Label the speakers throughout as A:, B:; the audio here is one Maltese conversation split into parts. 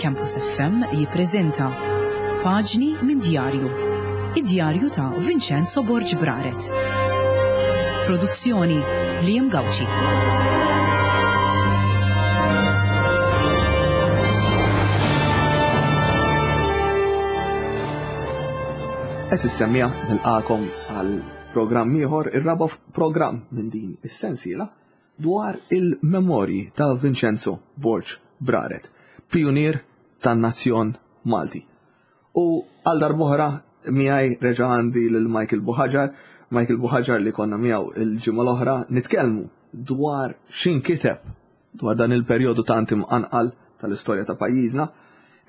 A: Campus FM jippreżenta Paġni minn Djarju. Id-djarju ta' Vincenzo Borg Braret. Produzzjoni Liam Gauci.
B: Eżis semmija nilqakom għal programm ieħor, ir-raba' programm minn din is-sensiela dwar il-memorji ta' Vincenzo Borg Braret, pijunier tan-nazzjon Malti. U għal darb'oħra miegħi reġa' għandi lil Michael Buhaġar, Michael Buhaġar li konna miegħu il-ġimgħa l-oħra nitkellmu dwar x'inkiteb dwar dan il-perjodu tant imqanqal tal-istorja ta' pajjiżna.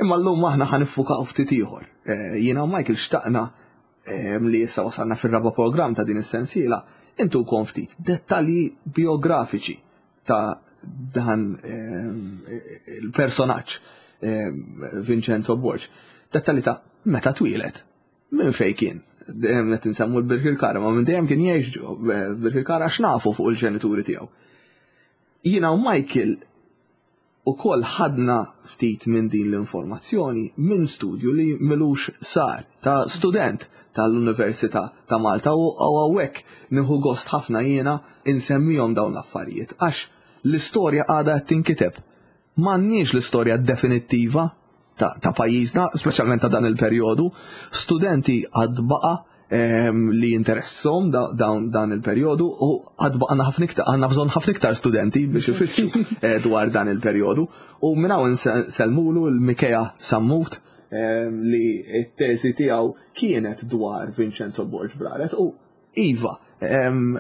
B: Imma llum aħna ħa niffukaw ftit ieħor. Eh, jiena u Michael xtaqna li issa wasalna fir-raba' programm ta' din is-sensiela, intukom ftit dettalji biografiċi ta' dan il-personaġġ Vincenzo Borg. Dettalji ta' meta twieled, minn fejn kien, dejjem qed insemmu l-Birkirkara, ma minn dejjem kien jgħix Birkirkara għax nafu fuq il-ġenituri tiegħu. Jiena u Michael Ukoll ħadna ftit minn din l-informazzjoni minn studju li m'ilux sar ta' student tal-Università ta' Malta u hawnhekk nieħu gost ħafna jiena insemmihom dawn l-affarijiet għax l-istorja għadha qed tinkiteb. M'għandniex l-istorja definittiva ta' pajjiżna, speċjalment ta' dan il-perjodu. Studenti għad baqa' ehm, li jinteressom dan il-perjodu u għad baqa' ħafna iktar għandna bżonn ħafna iktar studenti biex ifittxu eh, dwar dan il-perjodu. U minn hawn insellmulu l-Mikea Sammut ehm, li t-teżi tiegħu kienet dwar Vincenzo Borg Braret u iva, ehm,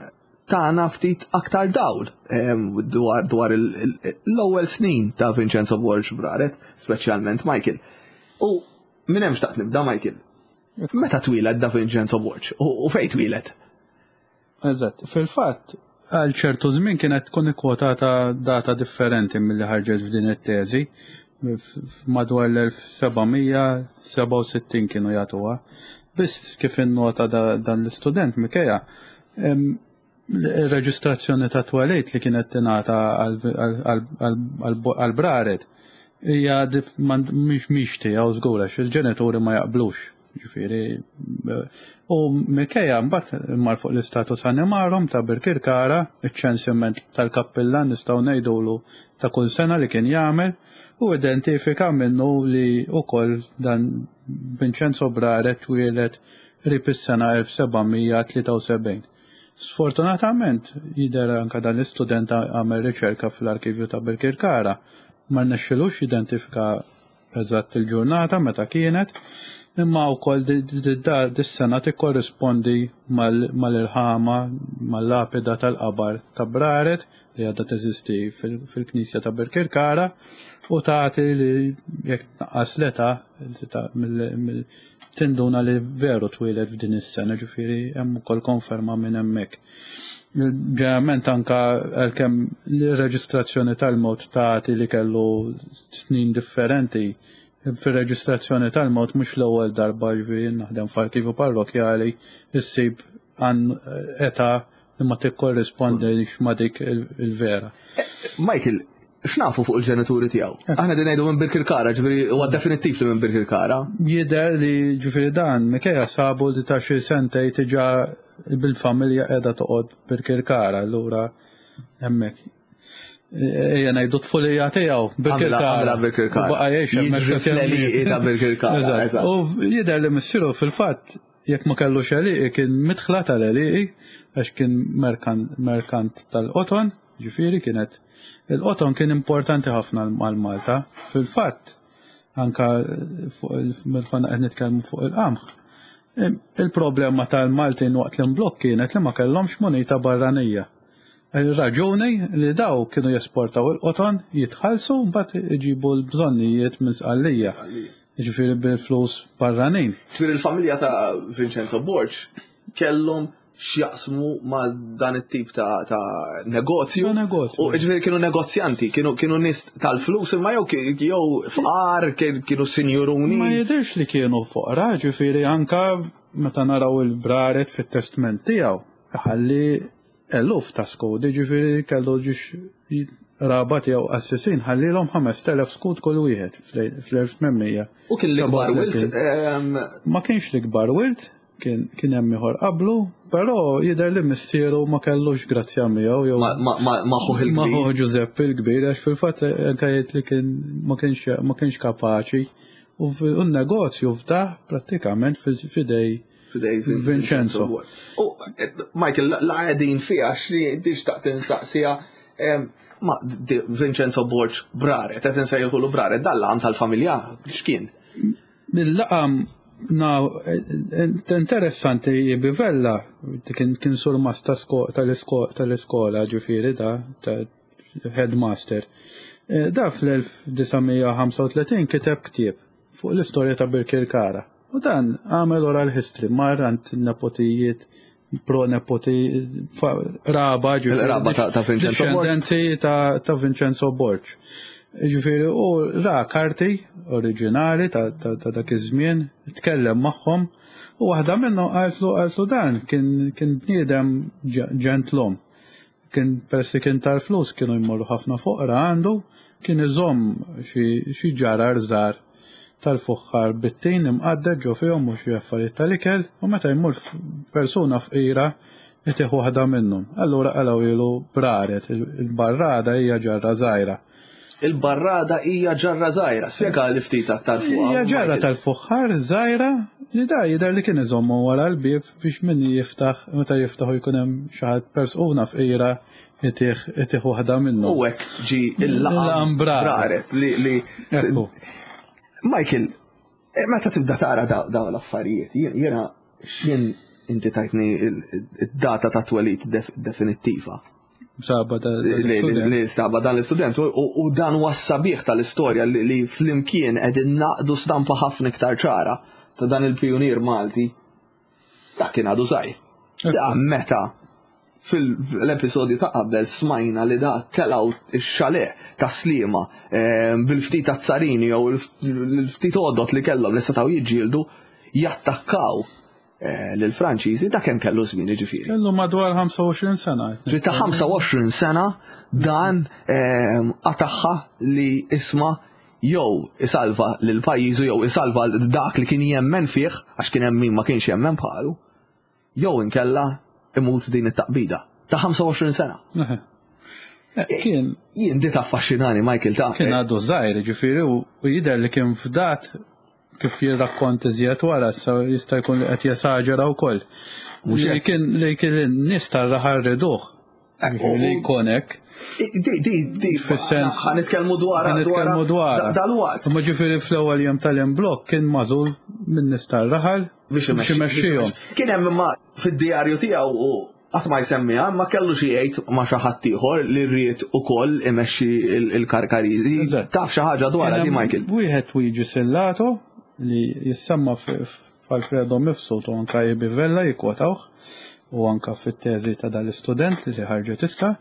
B: tana ftit aktar dawl dwar, dwar l-ewwel snin ta' Vincenzo Borg Braret, speċjalment Michael. U minn hemm xtaqt nibda Michael. Meta twieled da Vincenzo Borg u fejn twieled?
C: Eżatt, fil-fatt għal ċertu żmien kienet tkun ikkwotata data differenti milli ħarġet f'din it-teżi. Madwar l-1767 kienu jagħtuha. Biss kif innota dan l-istudent Mikea, Ir-reġistrazzjoni ta' twelid li kienet tingħata għall-braret hija mhix tiegħu żgur għax il-ġenituri ma jaqblux. Ġifieri u minkejja mbagħad mar fuq l-istatus animarum ta' Birkirkara, iċ-ċensiment tal-kappillan nistgħu ngħidulu ta' kull sena li kien jagħmel u identifika minnu li wkoll dan Vincenzo Braret twieled qrib is-sena 1773. Sfortunatament, jidher anke dan l-istudent għamel riċerka fl-arkivju ta' Birkirkara, ma rnexxilux jidentifika eżatt il-ġurnata meta kienet, imma wkoll dis-sena tikkorrispondi mal-irħama, mal-lapida tal-qabar ta' Braret li għadha teżisti fil-knisja ta' Birkirkara u tagħti li jekk tnaqqas l-età tinduna li veru twieled f'din is-sena, ġifieri hemm ukoll konferma minn hemmhekk. Ġeneralment anka għalkemm l-reġistrazzjoni tal-mewt tagħti li kellu snin differenti, fir-reġistrazzjoni tal-mewt mhux l-ewwel darba ġifieri naħdem f'arkivju parrokjali issib għan età li ma tikkorrispondix ma' dik il-vera.
B: Michael, x'nafu fuq il-ġenituri tiegħu? Eh. Aħna din ngħidu minn Birkirkara, ġifieri huwa definittiv li minn Birkirkara.
C: Jidher li ġifieri dan Mikea sabu li ta' xi sentej diġà bil-familja qiegħda toqgħod Birkirkara, allura hemmhekk. Ejja ngħidu tfulija tiegħu
B: Birkirkara. Birkirkara.
C: Baqa' jgħix
B: hemmhekk. ta' Birkirkara.
C: U jidher li missieru fil-fatt Jekk ma kellux għelieqi kien midħla tal-għelieqi għax kien merkant tal-qoton, ġifieri kienet il-qoton kien importanti ħafna għal Malta. Fil-fatt, anka fuq konna qed nitkellmu fuq il-qamħ. Il-problema tal-Maltin waqt l-imblokk kienet li ma kellhomx munita barranija. Ir-raġuni li daw kienu jesportaw il-qoton, jitħallsu mbagħad iġibu l-bżonnijiet minn Sqallija. Jiġifieri bil-flus barranin.
B: Ġifieri l-familja ta' Vincenzo Borg kellhom x'jaqsmu ma' dan it-tip ta', ta negozju.
C: Ta' negozju.
B: U ġifieri kienu negozjanti, kienu kienu nies tal-flus imma jew jew fqar, kienu sinjuruni.
C: Ma jidhirx li kienu foqra, ġifieri anka meta naraw il-braret fit-testment tiegħu, iħalli eluf ta' skudi, ġifieri kellu ġiex. qraba tiegħu qassisin ħallilhom 5000 skud kull wieħed fl-1800.
B: U kien l-ikbar wilt?
C: Ma kienx l-ikbar wilt, kien hemm ieħor qablu, però jidher li missieru ma kellux grazzja miegħu jew
B: ma ħuh il-kbir.
C: Ma ħuh Ġużeppi l-kbir għax fil-fatt anke jgħid li kien ma kienx ma kienx kapaċi u n-negozju fdah prattikament f'idej Vincenzo.
B: U Michael, la qegħdin fiha xi tixtaq tinsaqsiha ma Vincenzo Borg Braret, qed insejħulu Braret, dan laqam tal-familja x'kien?
C: Il-laqam na interessanti Bivella kien kien surmast tal-iskola ġifieri da headmaster. Eh, da fl-1935 kiteb ktieb fuq l-istorja ta' Birkirkara. U dan għamel oral history, mar għand nepotijiet, pro nepoti, raba,
B: ġifieri. Raba ta' Vincenzo
C: Borg. ta' Vincenzo Borg. Ġifieri, u ra karti oriġinali ta' dak iż-żmien, tkellem magħhom, u waħda minnhom qaltlu qaltlu dan kien kien bniedem ġentlom. Kien peress li kien tal-flus kienu jmorru ħafna foqra għandu, kien iżomm xi ġarar żgħar tal-fuħħar bit-tin imqadded ġo fihom u xi affarijiet tal-ikel u meta jmur persuna fqira itih waħda minnhom. Allura qalgħu braret, il-barrada hija ġarra żgħira.
B: Il-barrada hija ġarra żgħira. Spjega li ftit aktar fuqha.
C: Hija ġarra tal-fuħħar żgħira li da jidher li kien iżommu wara l-bieb biex min jiftaħ meta jiftaħu jkun hemm xi ħadd persuna fqira itih itih waħda minnhom.
B: U hekk ġi il-laqam braret li li Michael, eh, meta tibda tara dawn l-affarijiet, jiena x'in inti tajtni id-data ta' twelid definittiva.
C: Saba dan l-istudent.
B: Li saba dan l-istudent u dan huwa sabiħ tal-istorja li flimkien qegħdin naqdu stampa ħafna iktar ċara ta' dan il-pijunier Malti. Dak kien għadu żgħir. Da meta fil-episodju ta' qabel smajna li da telaw ix-xale ta' slima eh, bil-ftit ta' tsarini jew il-ftit għodot li kellhom li setgħu jiġġieldu jattakkaw Eh, lill-Franċiżi da kemm kellu żmien jiġifieri.
C: Kellu madwar 25 sena.
B: Ġi ta' 25 sena dan ehm, qataħħa li isma' jew isalva lil pajjiżu jew isalva dak li kien jemmen fih għax kien hemm min ma kienx jemmen bħalu, jew inkella imut din it-taqbida ta' 25 sena.
C: Eh, kien.
B: Jien di taffaxxinani Michael ta'
C: Kien għadu żgħir, ġifieri u jidher li kien fdat Kif jirrakkont iżjed wara, issa jista' jkun li qed jesaġera wkoll. Li kien li kien in-nies tar-raħal riduh. Eh, li jkun hekk.
B: Di, di, di, fis-sens. Ħa nitkellmu dwar.
C: Ħa nitkellmu dwar.
B: Dal-waqt.
C: Ma ġifieri fl-ewwel jum tal-imblokk kien magħżul minn nies tar-raħal
B: biex imexxihom. Kien hemm imma fid-djarju tiegħu u Qatt ma jsemmiha, imma kellu xi jgħid ma' xi ħadd ieħor li ried ukoll imexxi l-Karkariżi. Taf xi ħaġa dwarha di Michael?
C: Wieħed Luigi Sillato li jissemma f'Alfredo Mifsud u anka Ibi Vella jikkwotawh u anka fit-teżi ta' dal-istudent li ħarġet issa.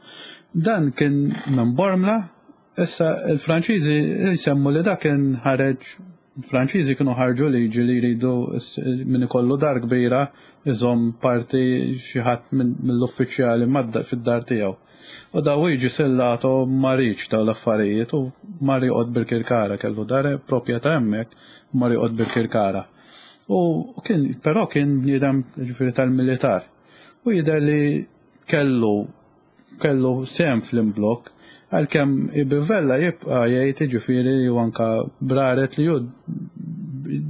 C: Dan kien minn Bormla, issa il-Franċiżi jsemmu li dak kien ħareġ Franċiżi kienu ħarġu liġi li jridu min ikollu dar kbira iżomm parti xi ħadd mill-uffiċjali fid-dar tiegħu. U da Luigi Sellato ma riedx dawn l-affarijiet u mar joqgħod Birkirkara, kellu dar proprjetà hemmhekk u mar joqgħod Birkirkara. U kien però kien bniedem ġifieri tal-militar. U jidher li kellu kellu sehem fl-imblokk, għalkemm Ibi Vella jibqa' jgħid jiġifieri u anke Braret li hu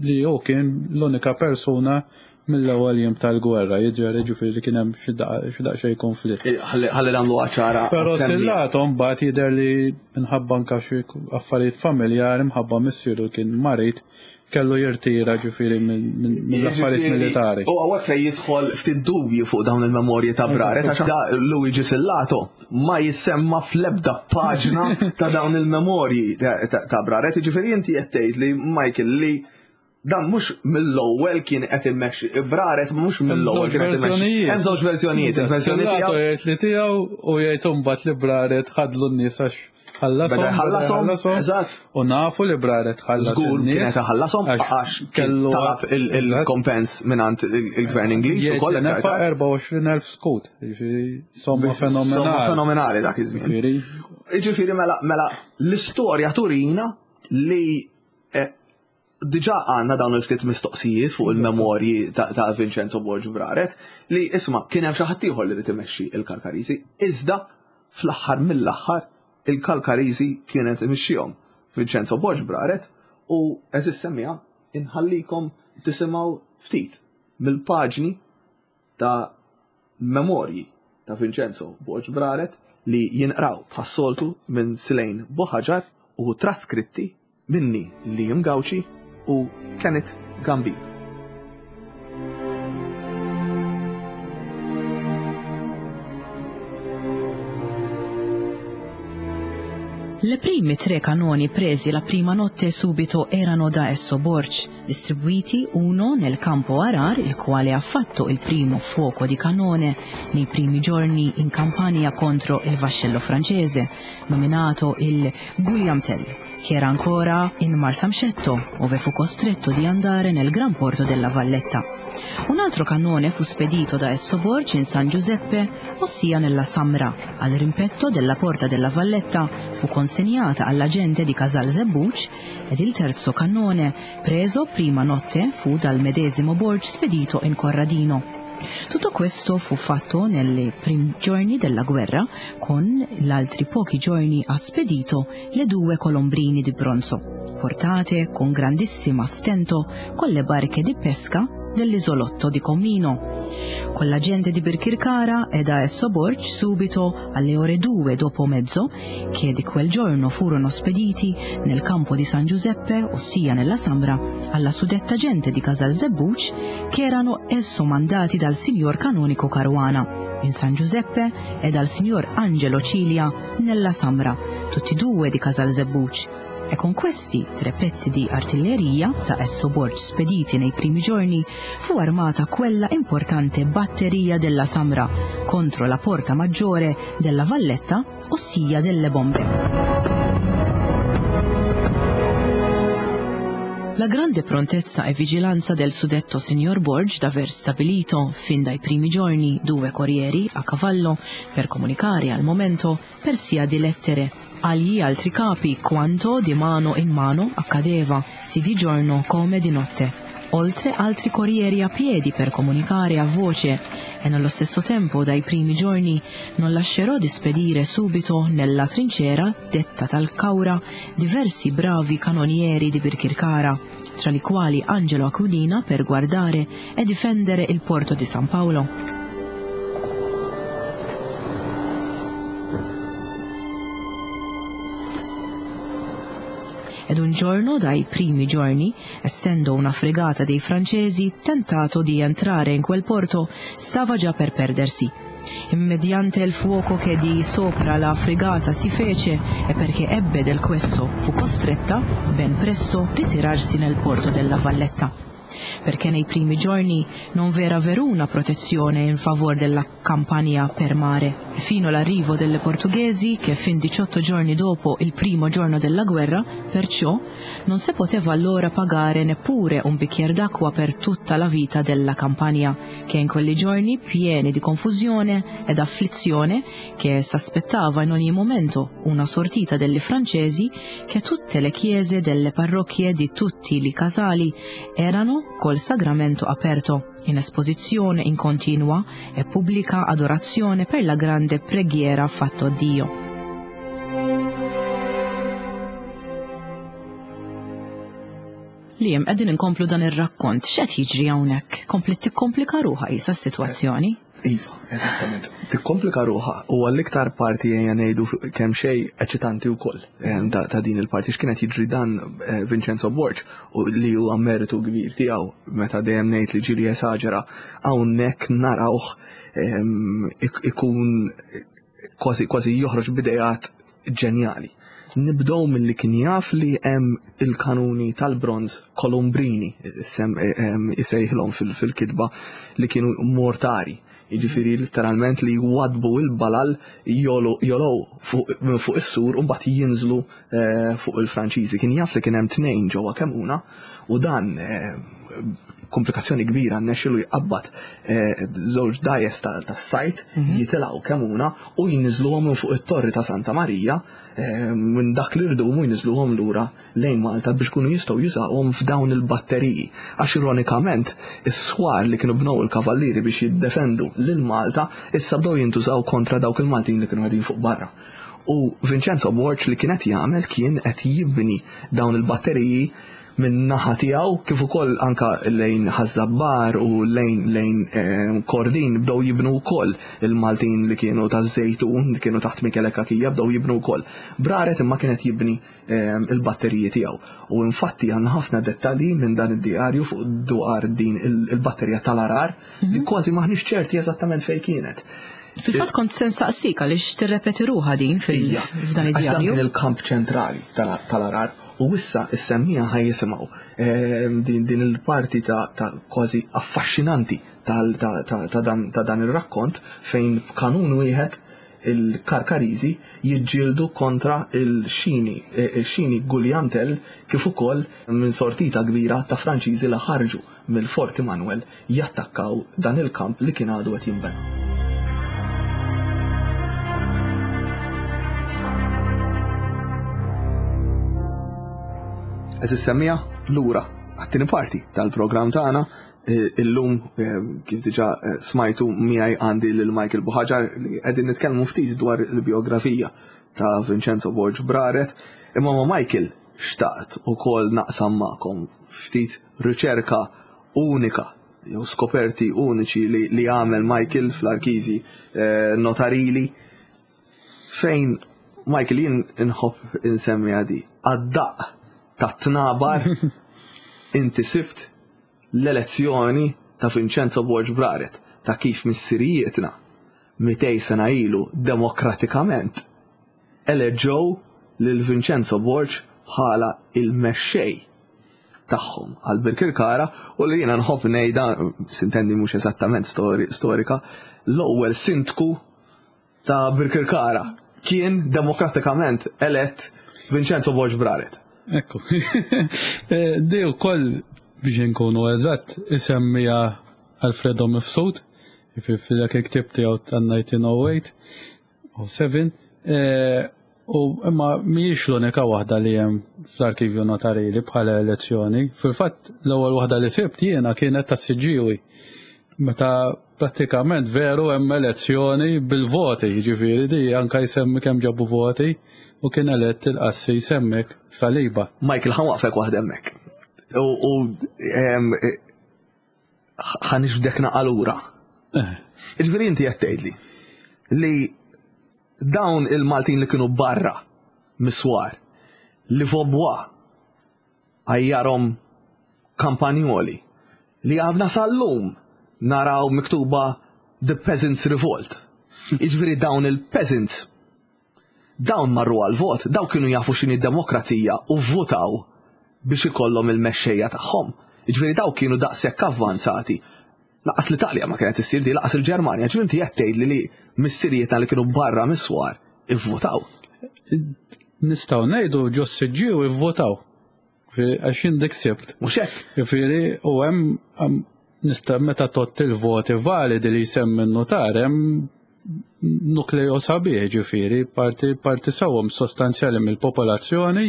C: li hu kien l-unika persuna mill-ewwel jiem tal-gwerra, jidher jiġifieri li kien hemm xi daqsxejn konflitt.
B: Ħalli nagħmluha ċara.
C: Però Sillato mbagħad jidher li minħabba anke xi affarijiet familjari mħabba missieru kien marid kellu jirtira ġifieri mill-affarijiet militari.
B: U hawnhekk fejn jidħol ftit dubju fuq dawn il-memorji ta' Brare, ta' da Luigi Sillato ma jissemma fl-ebda paġna ta' dawn il-memorji ta' Brare. Ġifieri inti qed tgħid li Michael li dan mhux mill-ewwel kien qed immexxi, Braret mhux mill-ewwel kien qed immexxi. Hemm żewġ verżjonijiet,
C: il-verżjoni tiegħu. Jgħid li tiegħu u jgħid imbagħad li Braret ħadlu n-nies għax. Ħallasom.
B: Beda jħallasom, eżatt.
C: U nafu li Braret ħallas.
B: Żgur kienet iħallasom għax
C: kellu
B: talab il-kompens mingħand il-gvern Ingliż
C: ukoll. Nefa 24,000 skut, jiġifieri somma fenomenali.
B: Somma fenomenali dak iż-żmien. Jiġifieri mela, mela l-istorja turina li eh, Diġà għandna dawn il-ftit mistoqsijiet fuq il-memorji ta' Vincenzo Borg Braret li isma' kien hemm xi ħadd ieħor li rid imexxi il-Kalkariżi, iżda fl-aħħar mill-aħħar il-Kalkariżi kienet imexxihom Vincenzo Borg Braret u għeżież semmiegħa inħallikom tisimgħu ftit mill-paġni ta' memorji ta' Vincenzo Borg Braret li jinqraw bħas-soltu minn Silejn Buħaġar u traskritti minni Liam Gauci u Kenneth Gambin.
A: Le prime tre canoni presi la prima notte subito erano da esso Borg, distribuiti uno nel campo Arar, il quale ha fatto il primo fuoco di cannone nei primi giorni in campagna contro il vascello francese, nominato il Guillaume Tell, che era ancora in Marsamxetto, ove fu costretto di andare nel gran porto della Valletta. Un altro cannone fu spedito da Esso Borg in San Giuseppe, ossia nella Samra. Al rimpetto della porta della Valletta fu consegnata alla gente di Casal Zebbuc ed il terzo cannone, preso prima notte, fu dal medesimo Borg spedito in Corradino. Tutto questo fu fatto nei primi giorni della guerra, con gli altri pochi giorni ha spedito le due colombrini di bronzo, portate con grandissima stento con le barche di pesca dell'isolotto di Comino. Con la gente di Birkirkara e da esso Borg subito alle ore 2 dopo mezzo, che di quel giorno furono spediti nel campo di San Giuseppe, ossia nella Sambra, alla suddetta gente di Casal Zebbuc, che erano esso mandati dal signor canonico Caruana in San Giuseppe e dal signor Angelo Cilia nella Samra, tutti e due di Casal Zebbuc. E con questi tre pezzi di artiglieria, da esso Borg spediti nei primi giorni, fu armata quella importante batteria della Samra contro la porta maggiore della Valletta, ossia delle bombe. La grande prontezza e vigilanza del suddetto signor Borg d'aver stabilito, fin dai primi giorni, due corrieri a cavallo per comunicare al momento per sia di lettere agli altri capi quanto di mano in mano accadeva, sì di giorno come di notte. Oltre altri corrieri a piedi per comunicare a voce e nello stesso tempo dai primi giorni non lascerò di spedire subito nella trincera, detta Talcaura, diversi bravi canonieri di Birkirkara, tra li quali Angelo Aquilina per guardare e difendere il porto di San Paolo. Ed un giorno dai primi giorni, essendo una fregata dei francesi tentato di entrare in quel porto, stava già per perdersi. Mediante il fuoco che di sopra la fregata si fece e perché ebbe del questo fu costretta ben presto ritirarsi nel porto della Valletta. Perché nei primi giorni non v'era veruna protezione in favor della Campania per mare, e fino all'arrivo delle portoghesi, che fin 18 giorni dopo il primo giorno della guerra, perciò non si poteva allora pagare neppure un bicchier d'acqua per tutta la vita della Campania, che in quelli giorni pieni di confusione ed afflizione, che s'aspettava in ogni momento una sortita delle francesi, che tutte le chiese delle parrocchie di tutti i casali erano col sagramento aperto, in esposizione in continua e pubblica adorazione per la grande preghiera fatta a Dio. Liam, qegħdin inkomplu dan ir-rakkont, x'qed jiġri hawnhekk? Kompliet tikkomplika ruħha qisha s-sitwazzjoni.
B: Iva, eżattament. Tikkomplika ruħha u għall-iktar parti ejja ngħidu kemm xejn eċitanti wkoll eh, ta' din il-parti x'kienet jiġri dan eh, Vincenzo Borg u li huwa meritu kbir tiegħu meta dejjem ngħid li ġieli esaġera hawnhekk narawh ehm, ikun kważi kważi joħroġ b'idejat ġenjali. Nibdew milli kien jaf li hemm il-kanuni tal-bronż Columbrini, sem isejħilhom fil-kitba li kienu mortari. Jiġifieri litteralment li jwaddbu l-balal jogħlew minn fuq is-sur u mbagħad jinżlu eh, fuq il-Franċiżi. Kien jaf li kien hemm tnejn ġewwa Kemuna u dan eh, komplikazzjoni kbira nexxilu jqabbad eh, żewġ dajes tas-sajt mhm. jitilgħu Kemuna u jniżluhom minn fuq it-torri ta' Santa Marija minn dak li rdumu jniżluhom lura lejn Malta biex ikunu jistgħu jużawhom f'dawn il-batteriji. Għax ironikament, is-swar li kienu bnew il-kavallieri biex jiddefendu lil Malta issa bdew jintużaw kontra dawk il-Maltin li kienu qegħdin fuq barra. U Vincenzo Borg li kien qed jagħmel kien qed jibni dawn il-batteriji minn naħa tiegħu kif ukoll anka lejn Ħaż-Żabbar u lejn lejn eh, Kordin bdew jibnu wkoll il-Maltin li kienu taż-Żejtun li kienu taħt Michele Cachia bdew jibnu wkoll. Braret imma kien qed jibni Ehm, il-batteriji tiegħu. U infatti għandna ħafna dettalji minn dan id-diarju fuq dwar din il-batterija tal-arar li mhm. kważi maħniex ċerti eżattament fejn kienet.
A: Fil-fatt kont se nsaqsik għaliex tirrepeti ruħha din fil-dan id-djarju.
B: Dan il-kamp ċentrali tal-arar u issa is-semmija ħaj jisimgħu ehm, din il-parti ta' kważi affaxxinanti ta' dan ir-rakkont fejn b'kanun wieħed il-Karkariżi jiġġieldu kontra l-Xini, il-Xini Gugliantell kif ukoll minn sortita kbira ta' Franċiżi li ħarġu mill-Fort Immanuel jattakkaw dan il-kamp li kien għadu qed jinbena. Għeżież semmiegħa, lura għat-tieni parti tal-programm tagħna Illum, kif diġà smajtu, miegħi għandi lil Michael Buhaġar li qegħdin nitkellmu ftit dwar il-bijografija ta' Vincenzo Borg Braret. Imma ma' Michael xtaqt ukoll naqsam magħkom ftit riċerka unika jew skoperti uniċi li, li għamel Michael fl-arkivi eh, notarili fejn Michael jien inħobb insemmi għadi għad-daq ta' tnabar inti sibt l-elezzjoni ta' Vincenzo Borg Braret ta' kif missirijietna 200 sena ilu demokratikament eleġġew lil Vincenzo Borg bħala il-mexxej tagħhom għal Birkirkara u li jiena nħobb ngħidha, sintendi mhux eżattament storika, l-ewwel sindku ta' Birkirkara kien demokratikament elett Vincenzo Borg Braret.
C: Ekku. Eh, di wkoll biex inkunu eżatt isemmija Alfredo Mifsud, f'dak il-ktieb tiegħu tan-1908 u 7, eh, u imma mhijiex l-unika waħda li hemm fl-arkivju notarili bħala elezzjoni. Fil-fatt l-ewwel waħda li sibt jiena kienet tas-Siġġiewi. Meta Prattikament veru hemm elezzjoni bil-voti, jiġifieri di anke jsemmi kemm ġabu voti u kien elett il-qassis hemmhekk Saliba.
B: Michael, ħa nwaqqfek waħda hemmhekk. U ħa niġbdek naqa' lura. Eh. Jiġifieri inti qed tgħidli li dawn il-Maltin li kienu barra mis-swar li Vaubois għajjarhom kampanjoli li għadna sal-lum naraw miktuba The Peasants Revolt. Jiġifieri dawn il-peasants dawn marru għal-vot, dawn kienu jafu x'inhi demokrazija u vvotaw biex ikollhom il-mexxejja tagħhom. Jiġifieri dawn kienu daqshekk avvanzati. Laqas l-Italja ma kienet issir di, laqas il-Ġermanja. Ġifieri inti qed tgħidli li missirietna li kienu barra mis-swar ivvotaw.
C: Nistgħu ngħidu ġo s-siġġiew ivvotaw. Għax jien dik sibt.
B: Mhux hekk.
C: Jiġifieri u hemm nista' meta tott il-voti validi li jsemmi n-notar hemm nukleo sabiħ ġifieri parti parti sewwa sostanzjali mill-popolazzjoni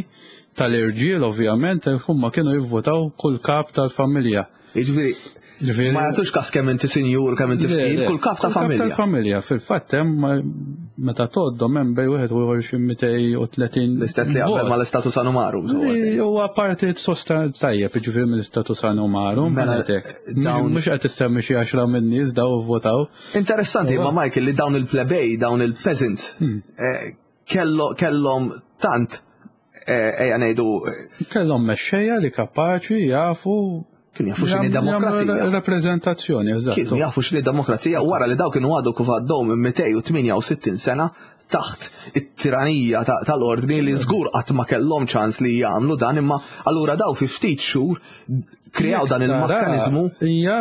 C: tal-irġiel ovvjament huma kienu jivvotaw kull kap tal-familja.
B: Jiġifieri Ġifieri ma jagħtux kas kemm inti sinjur, kemm inti fqir, kull kap ta' familja.
C: Kull familja, fil-fatt hemm meta tgħoddhom hemm bejn wieħed u ieħor xi 230.
B: L-istess li qabel mal-istatus anumarum.
C: Huwa parti sosta tajjeb, jiġifieri mill-istatus anumarum. Mela, mhux qed issemmi xi għaxra minn nies daw votaw.
B: Interessanti ma Michael li dawn il-plebej, dawn il-peasants, hmm. eh, kellhom tant eh, ejja ngħidu.
C: Eh, kellhom mexxejja li kapaċi jafu
B: Kienu jafu x'inhi demokrazija.
C: Rappreżentazzjoni,
B: eżatt. Kienu jafu x'inhi demokrazija wara li daw kienu għadu kif għaddew minn 268 sena taħt it-tiranija tal-ordni li żgur qatt ma kellhom ċans li jagħmlu dan imma allura daw fi ftit xhur kreaw dan il-mekkaniżmu.
C: Hija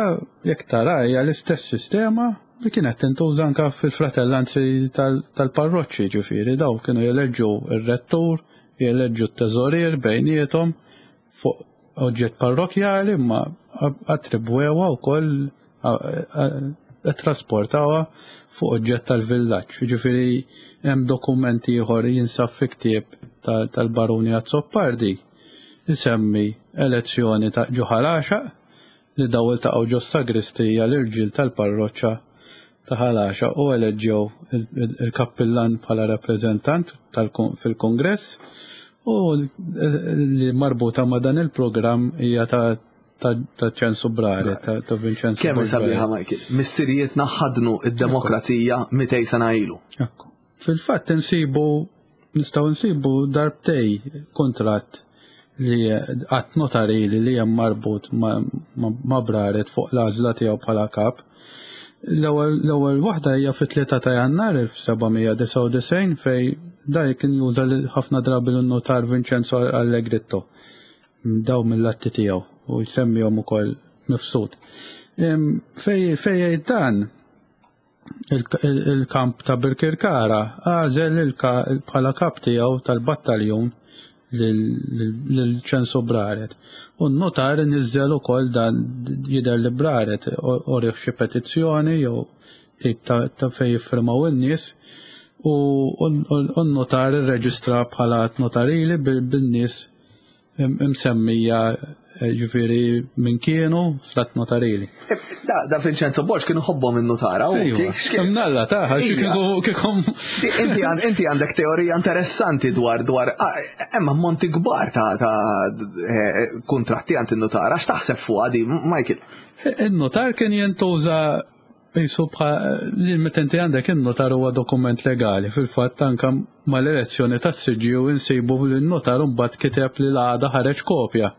C: jekk tara hija l-istess sistema. li kienet tintuża anke fil-fratellanzi tal-parroċċi, ġifieri daw kienu jeleġġu r-rettur, jeleġġu t-teżorier bejniethom fuq oġġett parrokjali imma attribwewha wkoll trasportawha fuq oġġett tal-villaġġ. Ġifieri hemm dokument ieħor jinsab fi ktieb tal-Baruni Azzopardi isemmi elezzjoni ta' Ġuħal Għaxaq li daw iltaqgħu ġos-sagristija l-irġiel tal-parroċċa ta' Ħal Għaxaq u eleġġew il-kappillan bħala rappreżentant fil-Kungress u li marbuta ma' dan il-programm hija ta' ta' ċensu Brare, ta' Vincenzo.
B: Kemm sabiħa Michael, missirijietna ħadnu id-demokrazija 200 sena ilu.
C: Ekku. Fil-fatt insibu nistgħu nsibu darbtej kuntratt li att notarili li hemm marbut ma' Braret fuq l-għażla tiegħu bħala kap. L-ewwel waħda hija fit-3 ta' Jannar 1799 fej da kien juża ħafna drabi l-notar Vincenzo Allegritto daw mill-atti tiegħu u jsemmihom ukoll mifsud. Fej jgħid dan il-kamp ta' Birkirkara għażel bħala kap tiegħu tal-battaljun lil Ċensu Braret. U n-notar niżżel ukoll dan jidher li Braret orih xi petizzjoni jew tip ta' fejn jiffirmaw in-nies u n-notar irreġistra bħala att notarili bin-nies imsemmija eh, ġifieri minn kienu fl-att notarili.
B: Eh, da, da Vincenzo Borg kienu ħobbhom in-nutara.
C: Mnalla ta' kiekom.
B: Inti għandek teorija interessanti dwar dwar ah, hemm ammonti kbar ta' eh, kuntratti għand in-nutara, x'taħseb fuq di Michael?
C: In-notar kien jintuża Qisu bħal li meta inti għandek in-notar huwa dokument legali. Fil-fatt anke mal-elezzjoni tas-siġġiew insibu li n-notar imbagħad kiteb li l-għada ħareġ kopja.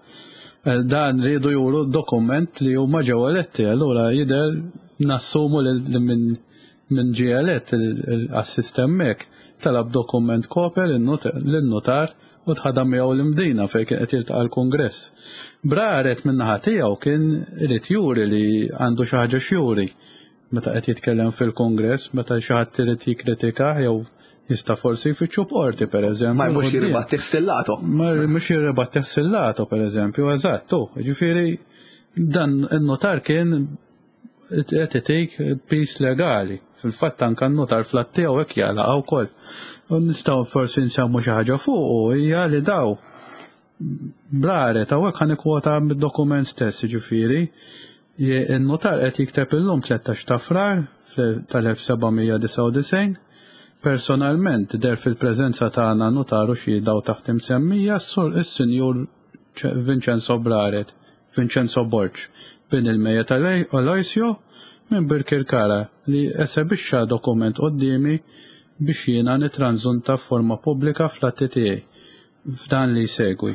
C: Eh, dan riedu juru dokument li huma ġew eletti, allura jidher nassumu li minn min ġie elett l-assist hemmhekk talab dokument kopja lin-notar u tħadam miegħu l-Imdina fejn kien qed jiltaqa' l-Kungress. Braret min-naħa tiegħu kien irid juri li għandu xi ħaġa x'juri meta qed jitkellem fil-Kungress, meta xi ħadd irid jikkritikah jew jista' forsi jfittxu b'qorti pereżempju.
B: Ma mhux jirribattih stillato.
C: Ma mhux jirribattih stillato pereżempju, eżatt, ġifieri dan in-notar kien qed itik piż legali. Fil-fatt anke n-notar fl-att tiegħu hekk jagħlaqha wkoll. U nistgħu forsi nsemmu xi ħaġa fuqu hija li daw braret hawnhekk ħa nikkwota mid-dokument stess, jiġifieri in-notar qed jikteb illum 13 ta' Frar tal-1799 personalment deher fil-preżenza tagħna notar u xhieda u taħt imsemmija s-sur is-Sinjur Vincenzo Braret Vincenzo Borg, bin il-mejjet Aloisio minn Birkirkara li esebixxa dokument quddiemi biex jiena nitranżunta f'forma pubblika fl-atti tiegħi f'dan li jsegwi.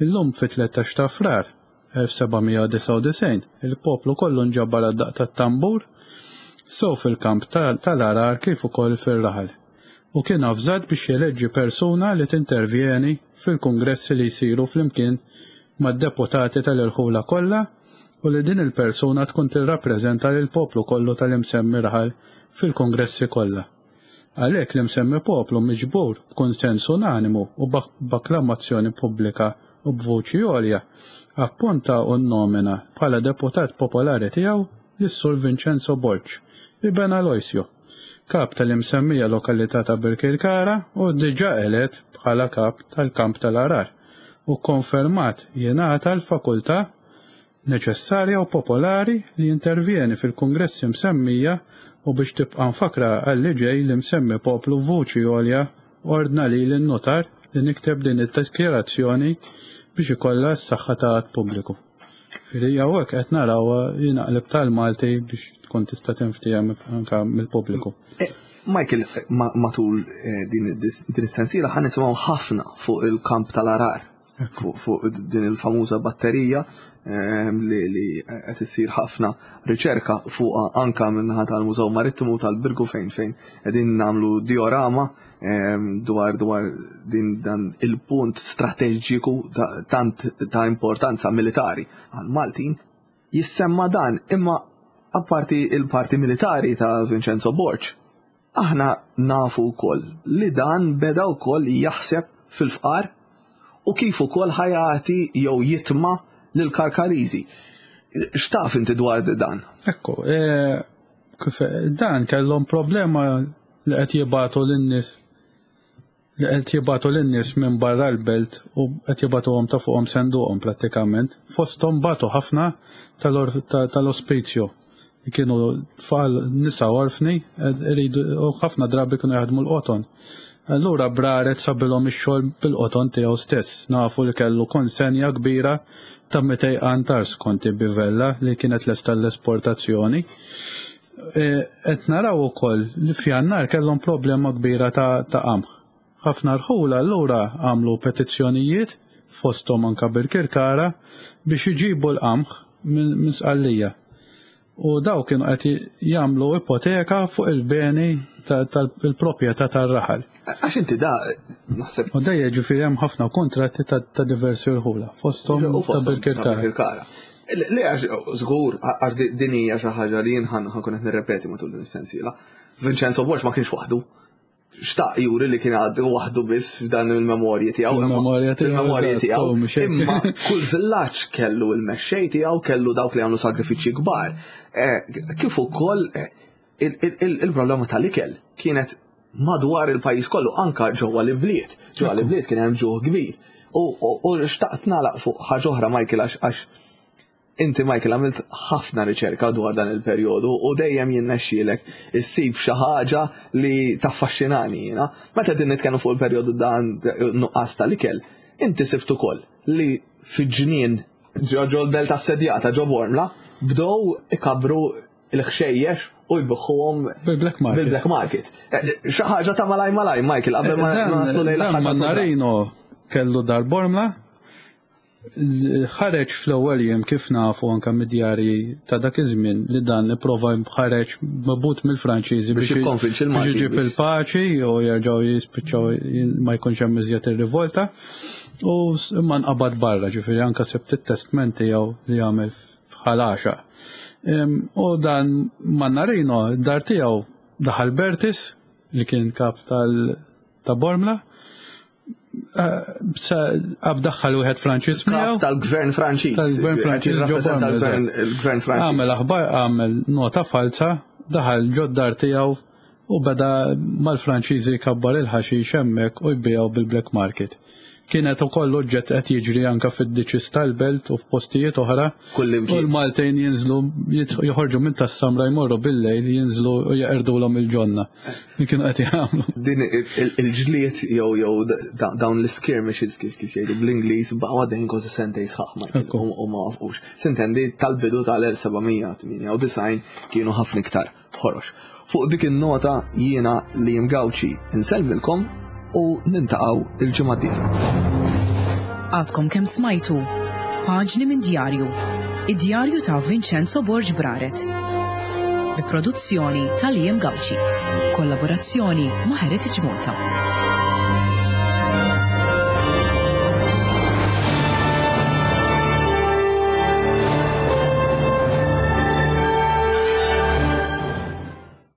C: Illum fit-13 ta' Frar, 1799, il-poplu kollu nġabar għad-daqq tat-tambur, sew fil-kamp tal-Għargħar kif ukoll fir-raħal. u kien avżat biex jeleġġi persuna li tintervjeni fil-kungressi li jsiru flimkien mad-deputati tal-irħula kollha u li din il-persuna tkun tirrappreżenta lill-poplu kollu tal-imsemmi raħal fil-kungressi kollha. Għalhekk l-imsemmi poplu miġbur b'kunsens unanimu u b'akklamazzjoni pubblika u b'vuċi għolja appunta u nnomina bħala deputat popolari tiegħu lis-Sur Vincenzo Borg, iben Aloisio. kap tal-imsemmija lokalità ta' Birkirkara u diġà elett bħala kap tal-kamp tal-Għargħar u kkonfermat jingħata l-fakultà neċessarja u popolari li jintervjeni fil-kungressi msemmija u biex tibqa' mfakkra għal li ġej l-imsemmi poplu b'vuċi għolja ordna lili n-nutar li nikteb din id-dikjarazzjoni biex ikollha s-saħħa ta' att pubbliku. Li hawnhekk qed naraw jinaqleb tal-Malti biex tkun tista' tinftiehem anke mill-pubbliku.
B: Eh, Michael, matul eh, din is-sensiela ħan nisimgħu ħafna fuq il-kamp tal-arar, fuq din il-famuża batterija eh, li qed issir ħafna riċerka fuqha anka minnaħa tal-Mużew Marittimu tal-Birgu fejn fejn qegħdin nagħmlu diorama dwar dwar din dan il-punt strateġiku tant ta' importanza militari għal Maltin jissemma dan imma Apparti il-parti militari ta' Vincenzo Borg, aħna nafu wkoll li dan beda wkoll jaħseb fil-fqar u kif ukoll ħa jagħti jew jitma' lill-Karkariżi. X'taf inti dwar dan?
C: Ekku, e, kif dan kellhom problema li qed jibgħatu lin-nies li qed jibagħtu lin-nies minn barra l-belt u qed jibagħtuhom ta' fuqhom senduqhom prattikament. Fosthom bagħtu ħafna tal-ospizju li kienu tfal nisa orfni iridu u ħafna drabi kienu jaħdmu l-qoton. Allura Braret sabilhom ix-xogħol bil-qoton tiegħu stess. Nafu li kellu konsenja kbira ta' 200 qantar skont Bivella li kienet lesta l-esportazzjoni. E, qed naraw ukoll li f'Jannar kellhom problema kbira ta' qamħ. Ħafna rħula allura għamlu petizzjonijiet fosthom anka Birkirkara biex iġibu l-qamħ minn Sqallija. U daw kienu qed jagħmlu ipoteka fuq il-beni tal-proprjetà tar-raħal.
B: Għax inti da, naħseb.
C: U dejja ġifieri hemm ħafna kontratti ta' diversi rħula, fosthom ta' Birkirkara.
B: Le għax żgur għax din hija xi ħaġa li jien ħankun qed nirrepeti matul din is-sensiela. Vincenzo Borg ma kienx waħdu. Xtaq juri li kien għad waħdu biss f'dan il-memorji tiegħu.
C: Il-memorja tiegħu.
B: Il-memorji tiegħu. Imma kull villaġġ kellu il-mexxej tiegħu, kellu dawk li għamlu sagrifiċċji kbar. Eh, kif ukoll eh, il-problema tal-ikel kienet madwar il-pajjiż kollu anka ġewwa l-ibliet. Ġewwa l-ibliet kien hemm ġuħ kbir. U xtaqt nagħlaq fuq ħaġa oħra Michael għax inti Michael għamilt ħafna riċerka dwar dan il-perjodu u dejjem jinnexxielek issib xi ħaġa li taffaxxinani jiena. Meta din nitkellmu fuq il-perjodu dan nuqqas tal-ikel, inti sibt ukoll li fi ġnien ġo l-belt assedjata ġo Bormla bdew ikabru il-ħxejjex u jbiħħuhom
C: bil-black market.
B: Bil-black market. Eh, xi ħaġa ta' malaj malaj, Michael, qabel ma eh, naslu lejn
C: l-aħħar. Mannarino kellu dar Bormla, ħareġ fl-ewwel jiem kif nafu anke mid-djarji ta' dak iż-żmien li dan ipprova ħareġ mabut mill-Franċiżi
B: biex jikkonvinċi
C: l-Malti. Biex iġib il-paċi u jerġgħu jispiċċaw ma jkunx hemm iżjed ir-rivolta. U imma nqabad barra, ġifieri anke sibt it-testment tiegħu li għamel f'Ħal Għaxaq. U dan Mannarino, dar tiegħu daħal Bertis li kien kap tal ta' Bormla, għab daħħal wieħed Franċiż
B: miegħu. Tal-gvern Franċiż.
C: Tal-gvern Franċiż.
B: Il-gvern Franċiż.
C: Għamel aħbar, għamel nota falsa, daħal ġod-dar tiegħu u beda mal-Franċiżi jkabbar il-ħaxix hemmhekk u jbigħu bil-black market. Kienet ukoll oġġett qed jiġri anke fid-ditches tal-belt u f'postijiet oħra. U l-Maltejn jinżlu joħorġu minn tas-samra jmorru bil-lejl jinżlu u jeqrdulhom il-ġonna li kienu qed jagħmlu.
B: Din il-ġlied jew jew dawn l-skirmishes kif kif jgħidu bl-Ingliż baqgħu għaddejjin kważi sentejn sħaħ u ma waqfux. Sintendi tal-bidu tal-1798 kienu ħafna iktar. ħorox. Fuq dik in-nota jiena Liam Gauci insellmilkom u nintaqgħu il-ġimgħa d-dieħla.
A: Għadkom kemm smajtu Paġni minn Djarju, id-djarju ta' Vincenzo Borg Braret. Bi produzzjoni ta' Liam Gauci. Kollaborazzjoni ma' Heritage Malta.